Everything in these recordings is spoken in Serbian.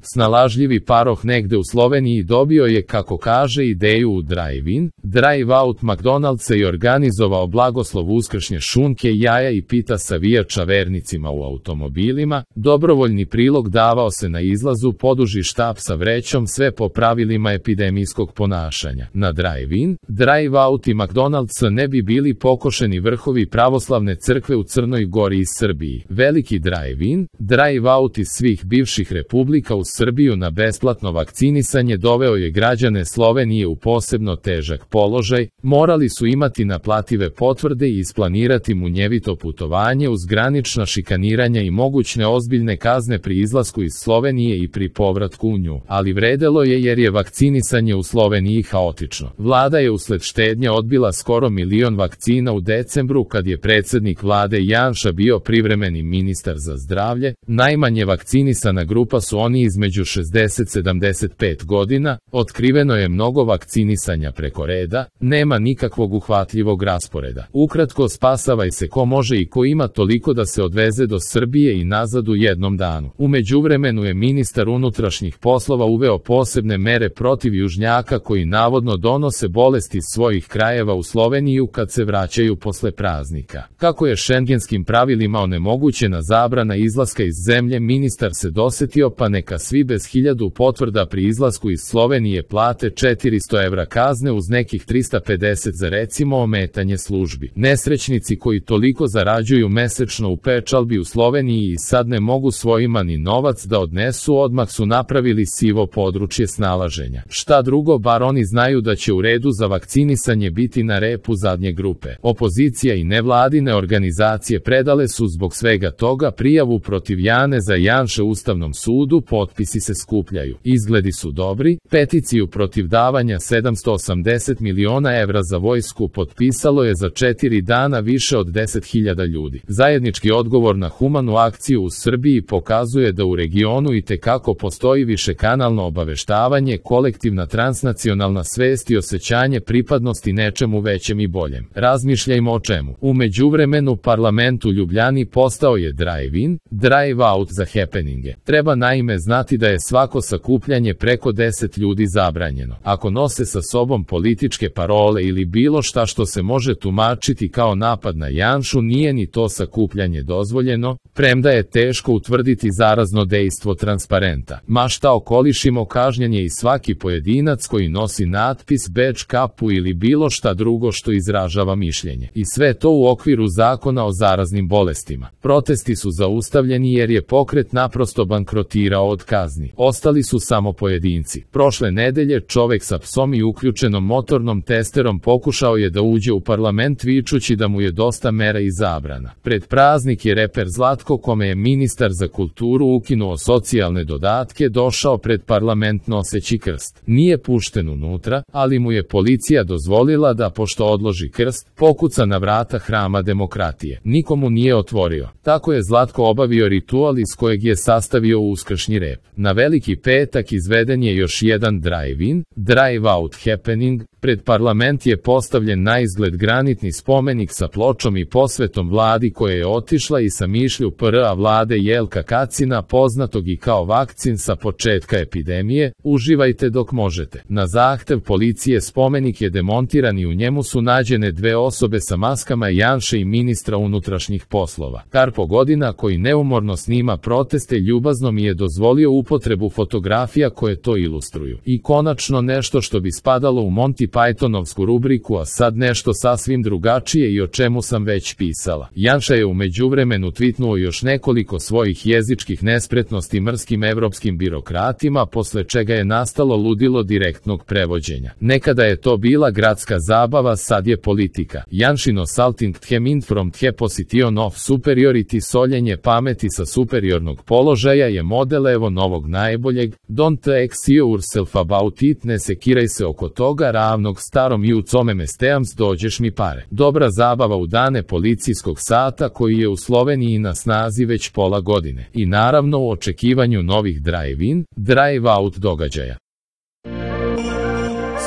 Snalažljivi paroh negde u Sloveniji dobio je, kako kaže, ideju u drive-in, drive-out McDonald'sa i organizovao blagoslov uskršnje šunke, jaja i pita savijača vernicima u automobilima. Dobrovoljni prilog davao se na izlazu, poduži štap sa vrećom, sve po pravilima epidemijskog ponašanja. Na drive-in, drive-out i McDonald'sa ne bi bili pokošeni vrhovi pravoslavne crkve u Crnoj Gori i Srbiji. Veliki drive-in, drive-out iz svih bivših republika u Srbiju na besplatno vakcinisanje doveo je građane Slovenije u posebno težak položaj, morali su imati naplative potvrde i isplanirati munjevito putovanje uz granična šikaniranja i mogućne ozbiljne kazne pri izlasku iz Slovenije i pri povratku u nju. Ali vredelo je jer je vakcinisanje u Sloveniji haotično. Vlada je usled štednje odbila skoro 1 milion vakcina u decembru kad je predsjednik vlade Janša bio privremeni ministar za zdravlje. Najmanje vakcinisana grupa su oni između 60-75 godina, otkriveno je mnogo vakcinisanja preko reda, nema nikakvog uhvatljivog rasporeda. Ukratko, spasavaj se ko može i ko ima toliko da se odveze do Srbije i nazad u jednom danu. U međuvremenu je ministar unutrašnjih poslova uveo posebne mere protiv južnjaka koji navodno donose bolesti iz svojih krajeva u Sloveniju kad se vraćaju posle praznika. Kako je šengenskim pravilima onemogućena zabrana izlaska iz zemlje, ministar se dosetio pa neka svi bez 1000 potvrda pri izlasku iz Slovenije plate 400 evra kazne uz nekih 350 za recimo ometanje službi. Nesrećnici koji toliko zarađuju mesečno u pečalbi u Sloveniji i sad ne mogu svojima ni novac da odnesu, odmah su napravili sivo područje snalaženja. Šta drugo, bar oni znaju da će u redu za vakcinisanje biti na repu zadnje grupe. Opozicija i nevladine organizacije predale su zbog svega toga prijavu protiv Jane za Janše Ustavnom sudu, potpisi se skupljaju. Izgledi su dobri, peticiju protiv davanja 780 miliona evra za vojsku potpisalo je za 4 dana više od 10.000 ljudi. Zajednički odgovor na humanu akciju u Srbiji pokazuje da u regionu itekako postoji višekanalno obaveštavanje, kolektivna transnacionalna svest i osjećanje pripadnosti nečemu većem i boljem. Razmišljajmo o čemu. U međuvremenu parlament u Ljubljani postao je drive-in, drive-out za happeninge. Treba naime znati da je svako sakupljanje preko 10 ljudi zabranjeno. Ako nose sa sobom političke parole ili bilo šta što se može tumačiti kao napad na Janšu, nije ni to sakupljanje dozvoljeno, premda je teško utvrditi zarazno dejstvo transparenta. Ma šta okolišimo, kažnjen je i svaki pojedinac koji nosi natpis, bedž, kapu ili bilo šta drugo što izražava mišljenje. I sve to u okviru zakona o zaraznim bolestima. Protesti su zaustavljeni jer je pokret naprosto bankrotirao od kazni. Ostali su samo pojedinci. Prošle nedelje čovek sa psom i uključenom motornom testerom pokušao je da uđe u parlament vičući da mu je dosta mera i zabrana. Pred praznik je reper Zlatko, kome je ministar za kulturu ukinuo socijalne dodatke, došao pred parlament noseći krst. Nije pušten unutra, ali mu je policija dozvolila da, pošto odloži krst, pokuca na vrata hrama demokratije. Nikomu nije otvorio. Tako je Zlatko obavio ritual iz kojeg je sastavio uskršnji rep. Na Veliki petak izveden je još jedan drive-in, drive-out happening. Pred parlament je postavljen na izgled granitni spomenik sa pločom i posvetom vladi koja je otišla i sa mišlju PR-a vlade Jelka Kacina, poznatog i kao vakcin sa početka epidemije, uživajte dok možete. Na zahtev policije spomenik je demontiran i u njemu su nađene 2 osobe sa maskama Janše i ministra unutrašnjih poslova. Karpo Godina, koji neumorno snima proteste, ljubazno mi je dozvolio upotrebu fotografija koje to ilustruju. I konačno nešto što bi spadalo u Monty Pythonovsku rubriku, a sad nešto sasvim drugačije i o čemu sam već pisala. Janša je u međuvremenu tvitnuo još nekoliko svojih jezičkih nespretnosti mrskim evropskim birokratima, posle čega je nastalo ludilo direktnog prevođenja. Nekada je to bila gradska zabava, sad je politika. Janšino salting the mind from the position of superiority, soljenje pameti sa superiornog položaja je model evo novog najboljeg. Don't ask yourself about it, ne sekiraj se oko toga, ravnog starom ju come mesteams, dođeš mi pare. Dobra zabava u dane policijskog sata koji je u Sloveniji na snazi već pola godine. I naravno u očekivanju novih drive-in, drive-out događaja.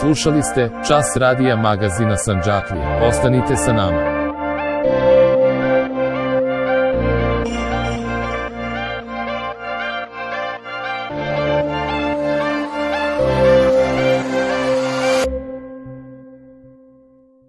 Slušali ste Čas radija magazina Sandžaklije. Ostanite sa nama.